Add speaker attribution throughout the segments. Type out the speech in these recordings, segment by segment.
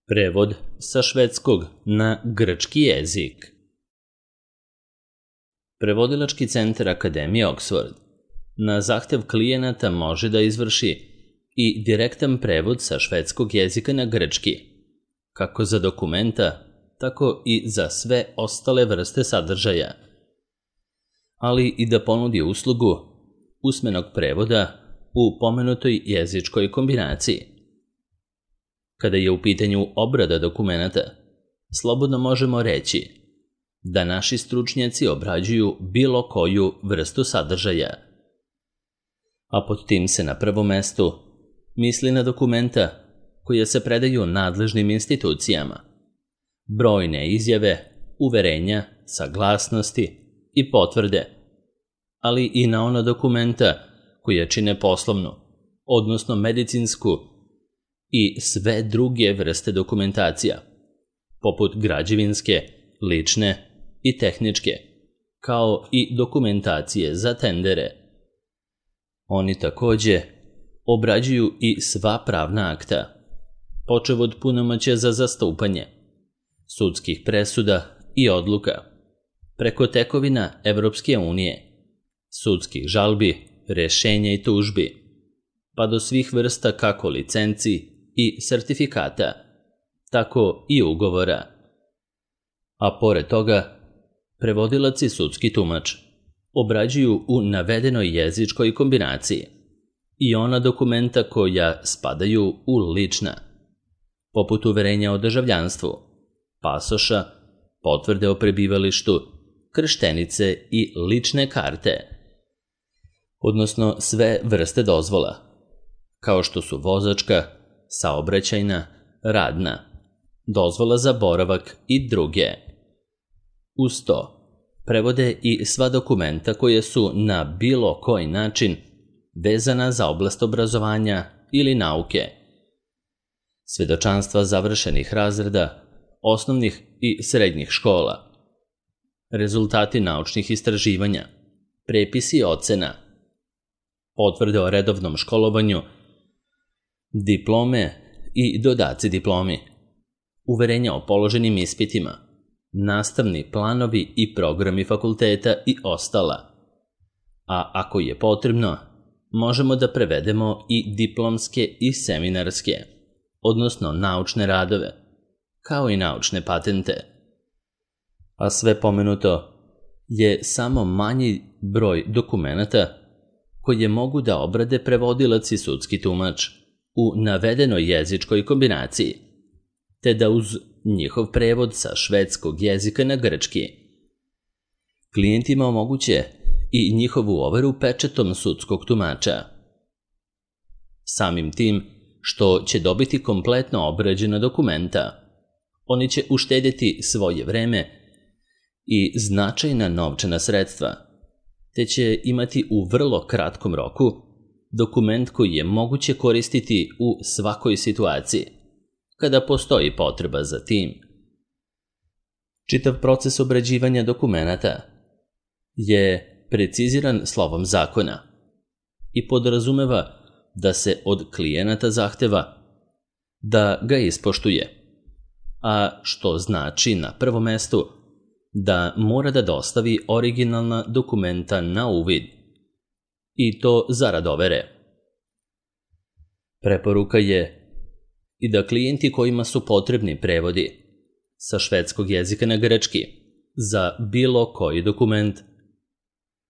Speaker 1: Prevod sa švedskog na grčki jezik. Prevodilački centar Akademije Oxford na zahtev klijenata može da izvrši i direktan prevod sa švedskog jezika na grčki, kako za dokumenta, tako i za sve ostale vrste sadržaja, ali i da ponudi uslugu usmenog prevoda u pomenutoj jezičkoj kombinaciji. Kada je u pitanju obrada dokumenata, slobodno možemo reći da naši stručnjaci obrađuju bilo koju vrstu sadržaja, a pod tim se na prvom mestu misli na dokumenta koja se predaju nadležnim institucijama, brojne izjave, uverenja, saglasnosti i potvrde, ali i na ona dokumenta koja čine poslovnu, odnosno medicinsku i sve druge vrste dokumentacija, poput građevinske, lične i tehničke, kao i dokumentacije za tendere. Oni takođe obrađuju i sva pravna akta, počev od punomoćja za zastupanje, sudskih presuda i odluka, preko tekovina Evropske unije, sudskih žalbi, rešenja i tužbi, pa do svih vrsta kako licenci i sertifikata, tako i ugovora. A pored toga, prevodilac i sudski tumač obrađuju u navedenoj jezičkoj kombinaciji i ona dokumenta koja spadaju u lična, poput uverenja o državljanstvu, pasoša, potvrde o prebivalištu, krštenice i lične karte, odnosno sve vrste dozvola, kao što su vozačka, saobraćajna, radna, dozvola za boravak i druge. Uz to, prevode i sva dokumenta koje su na bilo koji način vezana za oblast obrazovanja ili nauke, svedočanstva završenih razreda, osnovnih i srednjih škola, rezultati naučnih istraživanja, prepisi ocena, potvrde o redovnom školovanju, diplome i dodaci diplomi, uverenja o položenim ispitima, nastavni planovi i programi fakulteta i ostala. A ako je potrebno, možemo da prevedemo i diplomske i seminarske, odnosno naučne radove, kao i naučne patente. A sve pomenuto je samo manji broj dokumenata koje mogu da obrade prevodilac i sudski tumač u navedenoj jezičkoj kombinaciji, te da uz njihov prevod sa švedskog jezika na grčki klijentima omoguće i njihovu overu pečetom sudskog tumača. Samim tim što će dobiti kompletno obrađena dokumenta, oni će uštedjeti svoje vreme i značajna novčana sredstva, te će imati u vrlo kratkom roku dokument koji je moguće koristiti u svakoj situaciji, kada postoji potreba za tim. Čitav proces obrađivanja dokumenata je preciziran slovom zakona i podrazumeva da se od klijenata zahteva da ga ispoštuje, a što znači na prvom mestu da mora da dostavi originalna dokumenta na uvid, i to zarad overe. Preporuka je i da klijenti kojima su potrebni prevodi sa švedskog jezika na grčki za bilo koji dokument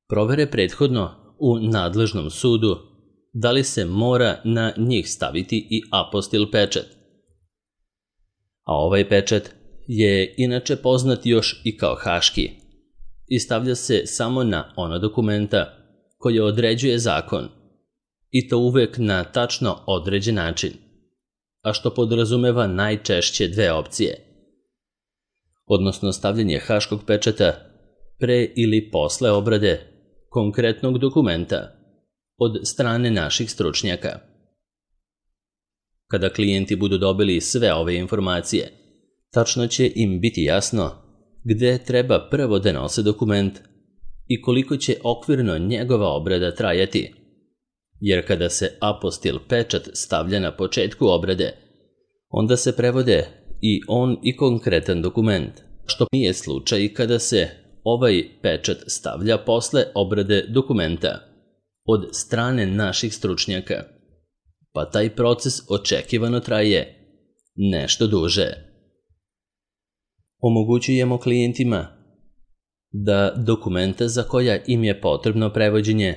Speaker 1: provere prethodno u nadležnom sudu da li se mora na njih staviti i apostil pečat. A ovaj pečat je inače poznat još i kao haški i stavlja se samo na ona dokumenta koje određuje zakon, i to uvek na tačno određen način, a što podrazumeva najčešće dve opcije, odnosno stavljanje haškog pečata pre ili posle obrade konkretnog dokumenta od strane naših stručnjaka. Kada klijenti budu dobili sve ove informacije, tačno će im biti jasno gde treba prvo da nose dokument i koliko će okvirno njegova obrada trajati, jer kada se apostil pečat stavlja na početku obrade, onda se prevode i on i konkretan dokument, što nije slučaj kada se ovaj pečat stavlja posle obrade dokumenta od strane naših stručnjaka, pa taj proces očekivano traje nešto duže. Omogućujemo klijentima da dokumenta za koja im je potrebno prevođenje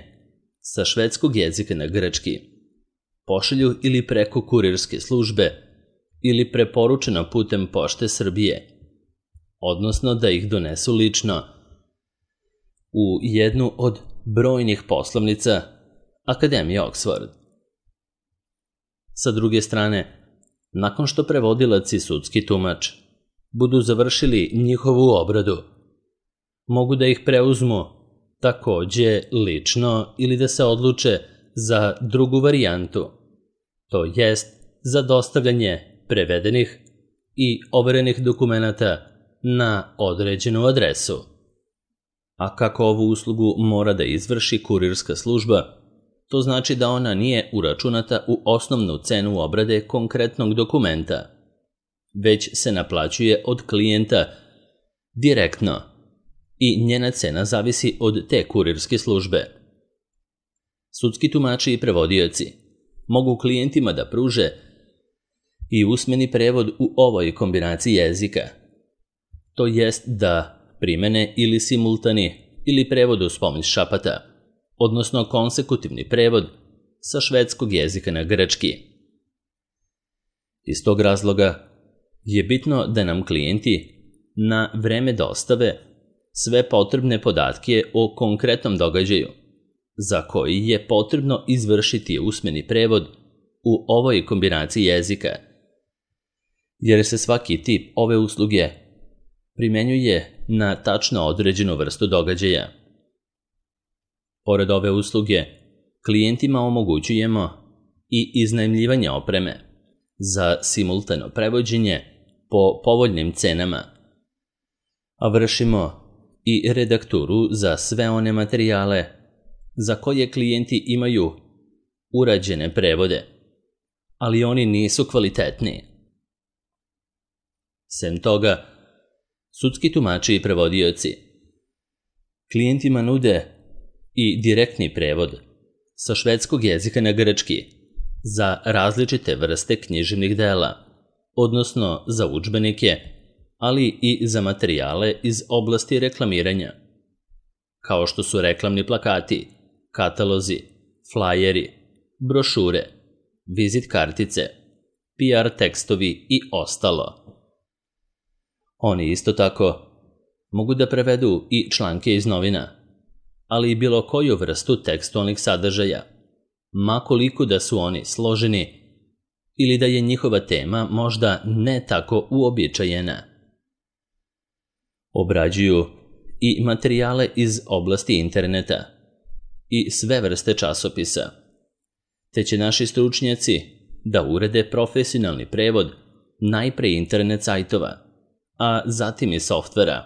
Speaker 1: sa švedskog jezika na grčki pošalju ili preko kurirske službe ili preporučeno putem Pošte Srbije, odnosno da ih donesu lično u jednu od brojnih poslovnica Akademije Oxford. Sa druge strane, nakon što prevodilac i sudski tumač budu završili njihovu obradu, mogu da ih preuzmu takođe lično ili da se odluče za drugu varijantu, to jest za dostavljanje prevedenih i overenih dokumenata na određenu adresu. A kako ovu uslugu mora da izvrši kurirska služba, to znači da ona nije uračunata u osnovnu cenu obrade konkretnog dokumenta, već se naplaćuje od klijenta direktno i njena cena zavisi od te kurirske službe. Sudski tumači i prevodioci mogu klijentima da pruže i usmeni prevod u ovoj kombinaciji jezika, to jest da primene ili simultani ili prevod uz pomoć šapata, odnosno konsekutivni prevod sa švedskog jezika na grčki. Iz tog razloga je bitno da nam klijenti na vreme dostave sve potrebne podatke o konkretnom događaju za koji je potrebno izvršiti usmeni prevod u ovoj kombinaciji jezika, jer se svaki tip ove usluge primenjuje na tačno određenu vrstu događaja. Pored ove usluge, klijentima omogućujemo i iznajmljivanje opreme za simultano prevođenje po povoljnim cenama, a vršimo i redakturu za sve one materijale za koje klijenti imaju urađene prevode, ali oni nisu kvalitetni. Sem toga, sudski tumači i prevodioci klijentima nude i direktni prevod sa švedskog jezika na grčki za različite vrste književnih dela, odnosno za udžbenike, ali i za materijale iz oblasti reklamiranja, kao što su reklamni plakati, katalozi, flajeri, brošure, vizit kartice, PR tekstovi i ostalo. Oni isto tako mogu da prevedu i članke iz novina, ali i bilo koju vrstu tekstualnih sadržaja, makoliko da su oni složeni ili da je njihova tema možda ne tako uobičajena. Obrađuju i materijale iz oblasti interneta i sve vrste časopisa, te će naši stručnjaci da urede profesionalni prevod najpre internet sajtova, a zatim i softvera,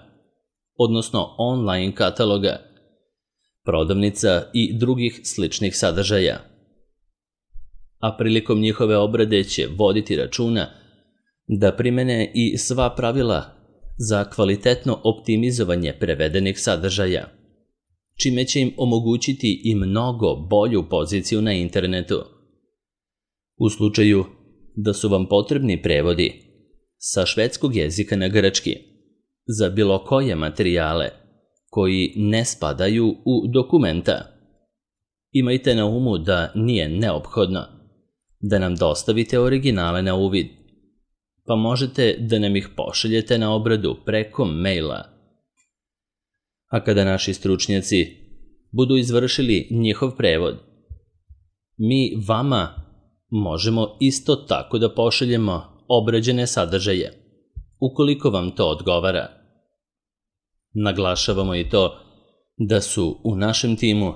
Speaker 1: odnosno online kataloga, prodavnica i drugih sličnih sadržaja. A prilikom njihove obrade će voditi računa da primene i sva pravila za kvalitetno optimizovanje prevedenih sadržaja, čime će im omogućiti i mnogo bolju poziciju na internetu. U slučaju da su vam potrebni prevodi sa švedskog jezika na grčki za bilo koje materijale koji ne spadaju u dokumenta, imajte na umu da nije neophodno da nam dostavite originale na uvid, pa možete da nam ih pošaljete na obradu preko maila. A kada naši stručnjaci budu izvršili njihov prevod, mi vama možemo isto tako da pošaljemo obrađene sadržaje, ukoliko vam to odgovara. Naglašavamo i to da su u našem timu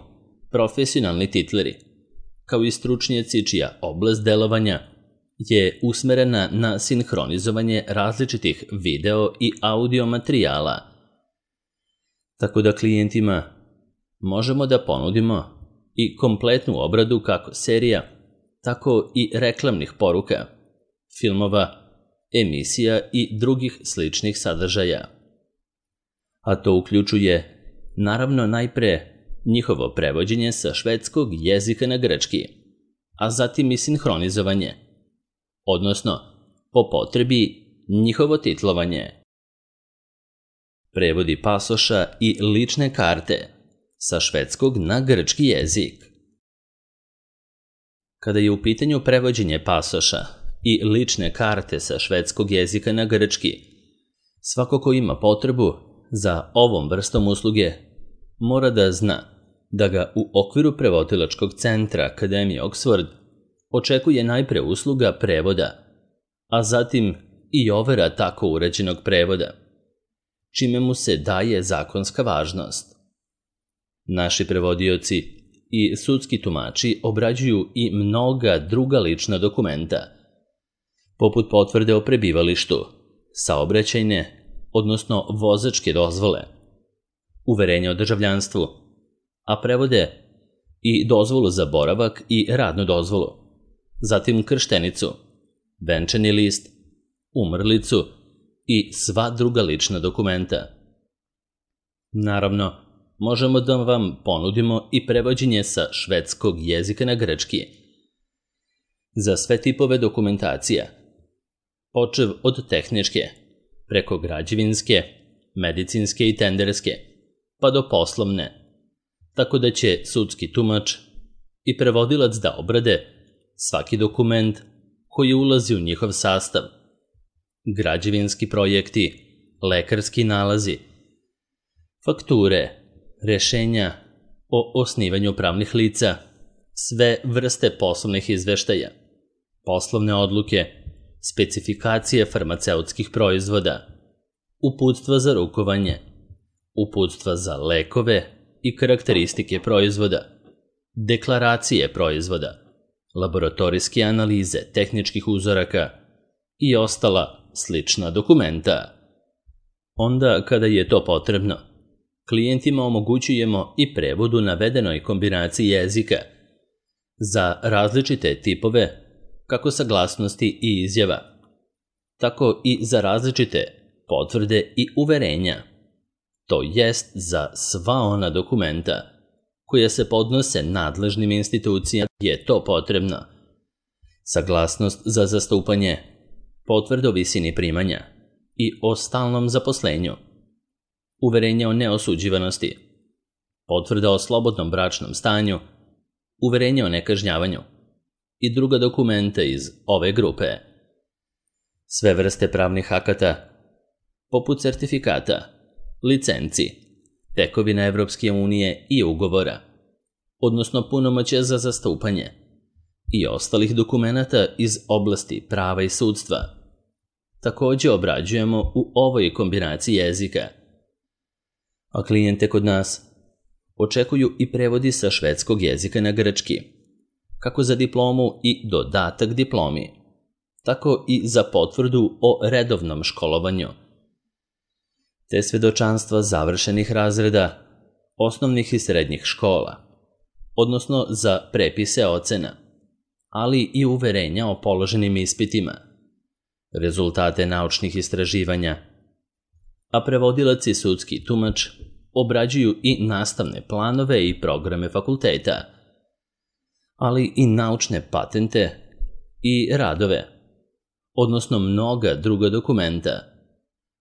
Speaker 1: profesionalni titleri, kao i stručnjaci čija oblast delovanja je usmerena na sinhronizovanje različitih video i audio materijala, tako da klijentima možemo da ponudimo i kompletnu obradu kako serija, tako i reklamnih poruka, filmova emisija i drugih sličnih sadržaja. A to uključuje, naravno, najpre njihovo prevođenje sa švedskog jezika na grčki, a zatim i sinhronizovanje, odnosno, po potrebi, njihovo titlovanje. Prevodi pasoša i lične karte sa švedskog na grčki jezik. Kada je u pitanju prevođenje pasoša i lične karte sa švedskog jezika na grčki, svako ko ima potrebu za ovom vrstom usluge mora da zna da ga u okviru prevodilačkog centra Akademije Oxford očekuje najpre usluga prevoda, a zatim i overa tako uređenog prevoda, čime mu se daje zakonska važnost. Naši prevodioci i sudski tumači obrađuju i mnoga druga lična dokumenta, poput potvrde o prebivalištu, saobraćajne, odnosno vozačke dozvole, uverenja o državljanstvu, a prevode i dozvolu za boravak i radnu dozvolu, zatim krštenicu, venčani list, umrlicu i sva druga lična dokumenta. Naravno, možemo da vam ponudimo i prevođenje sa švedskog jezika na grčki za sve tipove dokumentacija, počev od tehničke, preko građevinske, medicinske i tenderske, pa do poslovne, tako da će sudski tumač i prevodilac da obrade svaki dokument koji ulazi u njihov sastav, građevinski projekti, lekarski nalazi, fakture, rešenja o osnivanju pravnih lica, sve vrste poslovnih izveštaja, poslovne odluke, specifikacije farmaceutskih proizvoda, uputstva za rukovanje, uputstva za lekove i karakteristike proizvoda, deklaracije proizvoda, laboratorijske analize tehničkih uzoraka i ostala slična dokumenta. Onda, kada je to potrebno, klijentima omogućujemo i prevod u navedenoj kombinaciji jezika za različite tipove, kako saglasnosti i izjava, tako i za različite potvrde i uverenja, to jest za sva ona dokumenta koja se podnose nadležnim institucijama je to potrebno. Saglasnost za zastupanje, potvrda o visini primanja i o stalnom zaposlenju, uverenje o neosuđivanosti, potvrda o slobodnom bračnom stanju, uverenje o nekažnjavanju i druga dokumenta iz ove grupe. Sve vrste pravnih akata, poput sertifikata, licenci, tekovina Evropske unije i ugovora, odnosno punomoćja za zastupanje i ostalih dokumenata iz oblasti prava i sudstva, takođe obrađujemo u ovoj kombinaciji jezika. A klijente kod nas očekuju i prevodi sa švedskog jezika na grčki, kako za diplomu i dodatak diplomi, tako i za potvrdu o redovnom školovanju, te svedočanstva završenih razreda, osnovnih i srednjih škola, odnosno za prepise ocena, ali i uverenja o položenim ispitima, rezultate naučnih istraživanja, a prevodilac i sudski tumač obrađuju i nastavne planove i programe fakulteta, ali i naučne patente i radove, odnosno mnoga druga dokumenta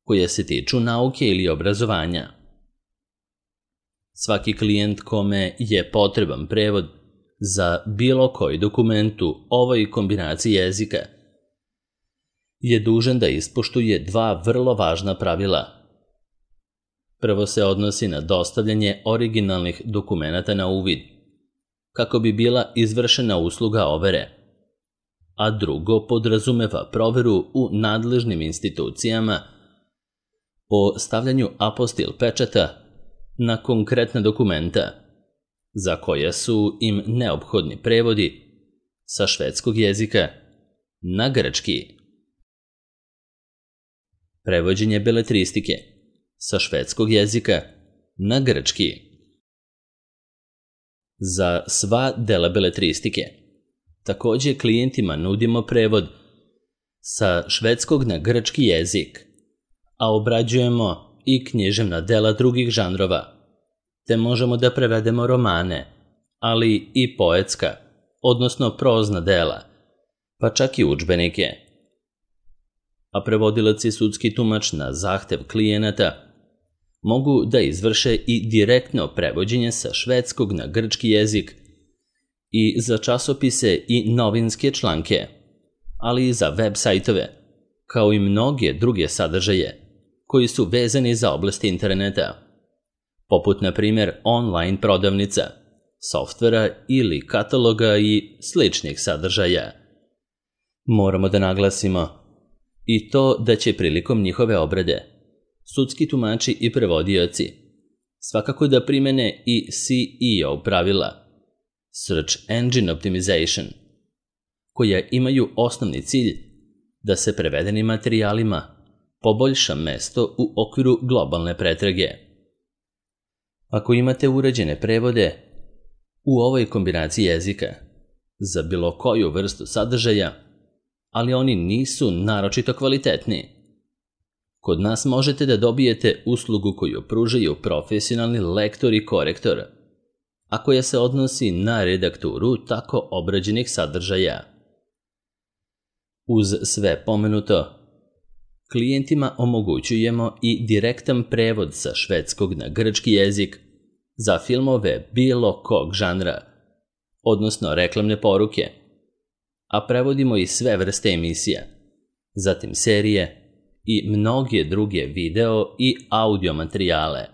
Speaker 1: koje se tiču nauke ili obrazovanja. Svaki klijent kome je potreban prevod za bilo koji dokument u ovoj kombinaciji jezika je dužan da ispoštuje dva vrlo važna pravila. Prvo se odnosi na dostavljanje originalnih dokumenata na uvid, kako bi bila izvršena usluga overe, a drugo podrazumeva proveru u nadležnim institucijama o stavljanju apostil pečata na konkretna dokumenta, za koja su im neophodni prevodi sa švedskog jezika na grčki. Prevođenje beletristike sa švedskog jezika na grčki. Za sva dela beletristike takođe klijentima nudimo prevod sa švedskog na grčki jezik, a obrađujemo i književna dela drugih žanrova, te možemo da prevedemo romane, ali i poetska, odnosno prozna dela, pa čak i udžbenike. A prevodilac i sudski tumač na zahtev klijenata mogu da izvrše i direktno prevođenje sa švedskog na grčki jezik i za časopise i novinske članke, ali i za web sajtove, kao i mnoge druge sadržaje koji su vezani za oblast interneta, poput na primjer online prodavnica, softvera ili kataloga i sličnih sadržaja. Moramo da naglasimo i to da će prilikom njihove obrade sudski tumači i prevodioci svakako da primene i SEO pravila, Search Engine Optimization, koja imaju osnovni cilj da se prevedenim materijalima poboljša mesto u okviru globalne pretrage. Ako imate uređene prevode u ovoj kombinaciji jezika za bilo koju vrstu sadržaja, ali oni nisu naročito kvalitetni, kod nas možete da dobijete uslugu koju pružaju profesionalni lektor i korektor, a koja se odnosi na redakturu tako obrađenih sadržaja. Uz sve pomenuto, klijentima omogućujemo i direktan prevod sa švedskog na grčki jezik za filmove bilo kog žanra, odnosno reklamne poruke, a prevodimo i sve vrste emisija, zatim serije i mnoge druge video i audio materijale.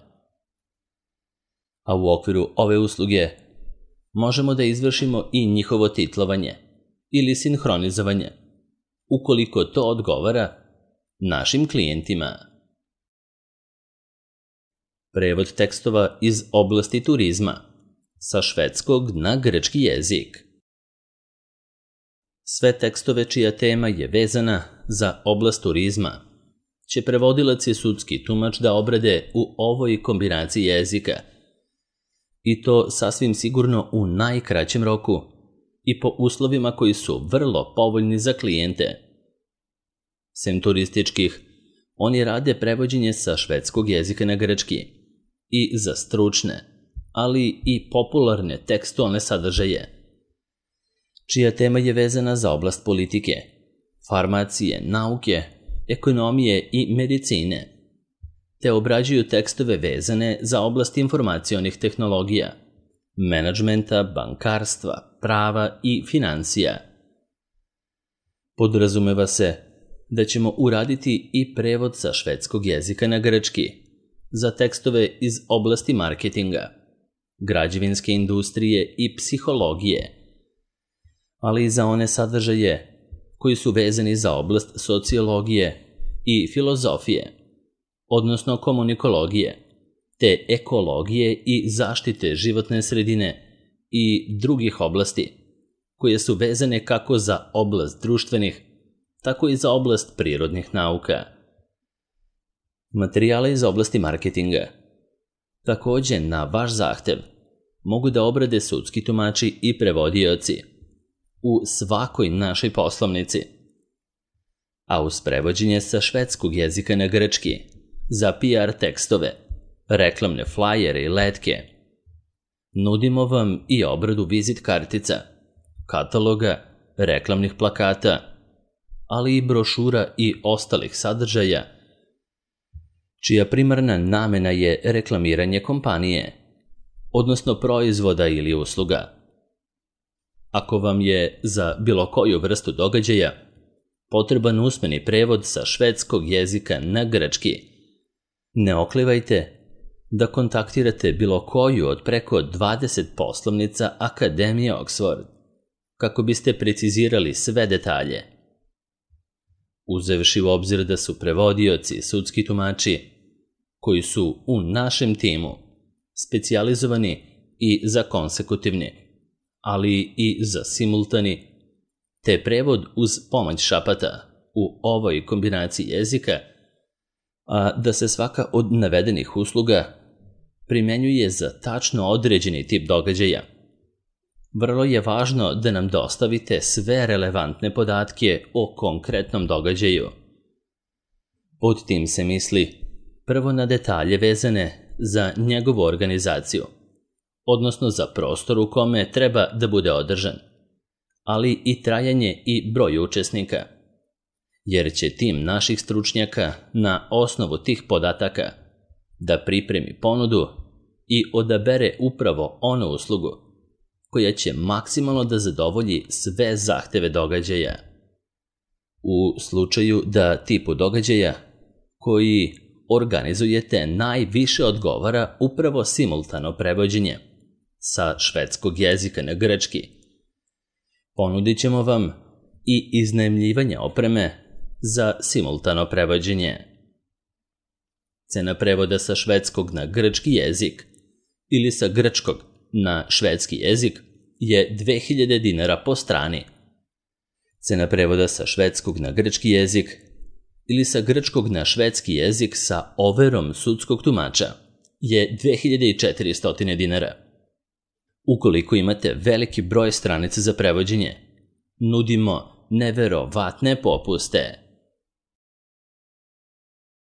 Speaker 1: A u okviru ove usluge možemo da izvršimo i njihovo titlovanje ili sinhronizovanje, ukoliko to odgovara našim klijentima. Prevod tekstova iz oblasti turizma sa švedskog na grčki jezik. Sve tekstove čija tema je vezana za oblast turizma će prevodilac i sudski tumač da obrade u ovoj kombinaciji jezika, i to sasvim sigurno u najkraćem roku i po uslovima koji su vrlo povoljni za klijente. Sem turističkih, oni rade prevođenje sa švedskog jezika na grčki i za stručne, ali i popularne tekstualne sadržaje, čija tema je vezana za oblast politike, farmacije, nauke, ekonomije i medicine, te obrađuju tekstove vezane za oblast informacionih tehnologija, menadžmenta, bankarstva, prava i financija. Podrazumeva se da ćemo uraditi i prevod sa švedskog jezika na grčki za tekstove iz oblasti marketinga, građevinske industrije i psihologije, ali i za one sadržaje koji su vezani za oblast sociologije i filozofije, odnosno komunikologije, te ekologije i zaštite životne sredine i drugih oblasti, koje su vezane kako za oblast društvenih, tako i za oblast prirodnih nauka. Materijale iz oblasti marketinga takođe na vaš zahtev mogu da obrade sudski tumači i prevodioci u svakoj našoj poslovnici, a uz prevođenje sa švedskog jezika na grčki za PR tekstove, reklamne flajere i letke, nudimo vam i obradu vizit kartica, kataloga, reklamnih plakata, ali i brošura i ostalih sadržaja, čija primarna namena je reklamiranje kompanije, odnosno proizvoda ili usluga. Ako vam je za bilo koju vrstu događaja potreban usmeni prevod sa švedskog jezika na grčki, ne oklevajte da kontaktirate bilo koju od preko 20 poslovnica Akademije Oxford, kako biste precizirali sve detalje. Uzevši u obzir da su prevodioci i sudski tumači, koji su u našem timu specijalizovani i za konsekutivni, ali i za simultani, te prevod uz pomoć šapata u ovoj kombinaciji jezika, a da se svaka od navedenih usluga primenjuje za tačno određeni tip događaja, vrlo je važno da nam dostavite sve relevantne podatke o konkretnom događaju. Pod tim se misli prvo na detalje vezane za njegovu organizaciju, odnosno za prostor u kome treba da bude održan, ali i trajanje i broj učesnika, jer će tim naših stručnjaka na osnovu tih podataka da pripremi ponudu i odabere upravo onu uslugu koja će maksimalno da zadovolji sve zahteve događaja. U slučaju da tipu događaja koji organizujete najviše odgovara upravo simultano prevođenje sa švedskog jezika na grčki, ponudit ćemo vam i iznajmljivanje opreme za simultano prevođenje. Cena prevoda sa švedskog na grčki jezik ili sa grčkog na švedski jezik je 2000 dinara po strani. Cena prevoda sa švedskog na grčki jezik ili sa grčkog na švedski jezik sa overom sudskog tumača je 2400 dinara. Ukoliko imate veliki broj stranica za prevođenje, nudimo neverovatne popuste.